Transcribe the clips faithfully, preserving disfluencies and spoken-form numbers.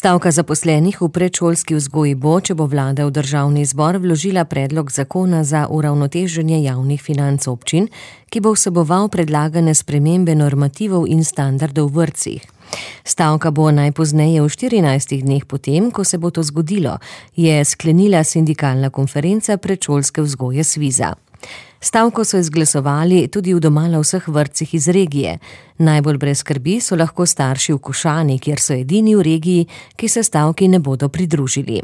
Stavka zaposlenih v predšolski vzgoji bo, če bo vlada v državni zbor vložila predlog zakona za uravnoteženje javnih financ občin, ki bo vseboval predlagane spremembe normativov in standardov v vrtcih. Stavka bo najpozneje v štirinajstih dneh potem, ko se bo to zgodilo, je sklenila sindikalna konferenca predšolske vzgoje Sviza. Stavko so izglasovali tudi v domala vseh vrtcih iz regije. Najbolj brez skrbi so lahko starši v Košani, kjer so edini v regiji, ki se stavki ne bodo pridružili.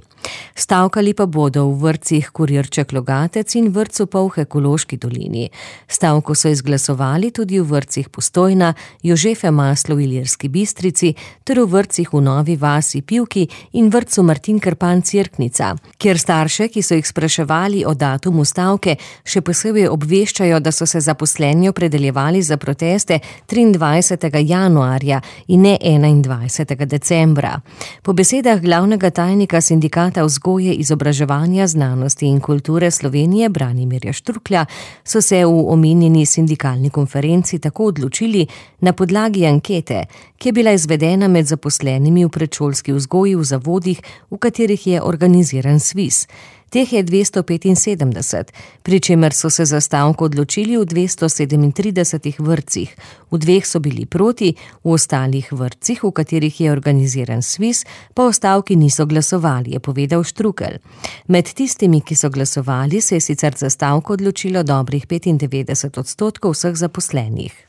Stavkali pa bodo v vrtcih Kurirček Logatec in vrtcu Polh Ekološki dolini. Stavko so izglasovali tudi v vrtcih Postojna, Jožefe Maslo v Ilirski Bistrici ter v vrtcih v Novi vasi Pivki in vrtcu Martin Krpan Cerknica, kjer starše, ki so jih spraševali o datumu stavke, še posebej obveščajo, da so se zaposleni opredeljevali za proteste triindvajsetega januarja in ne enaindvajsetega decembra. Po besedah glavnega tajnika sindikata vzgoje, izobraževanja, znanosti in kulture Slovenije Branimirja Štruklja so se v omenjeni sindikalni konferenci tako odločili na podlagi ankete, ki je bila izvedena med zaposlenimi v predšolski vzgoji v zavodih, v katerih je organiziran Sviz. Teh je dvesto petinsedemdeset, pri čemer so se za stavko odločili v dvesto sedemintridesetih vrtcih. V dveh so bili proti, v ostalih vrtcih, v katerih je organiziran Sviz, pa o stavki niso glasovali, je povedal Štrukelj. Med tistimi, ki so glasovali, se je sicer za stavko odločilo dobrih petindevetdeset odstotkov vseh zaposlenih.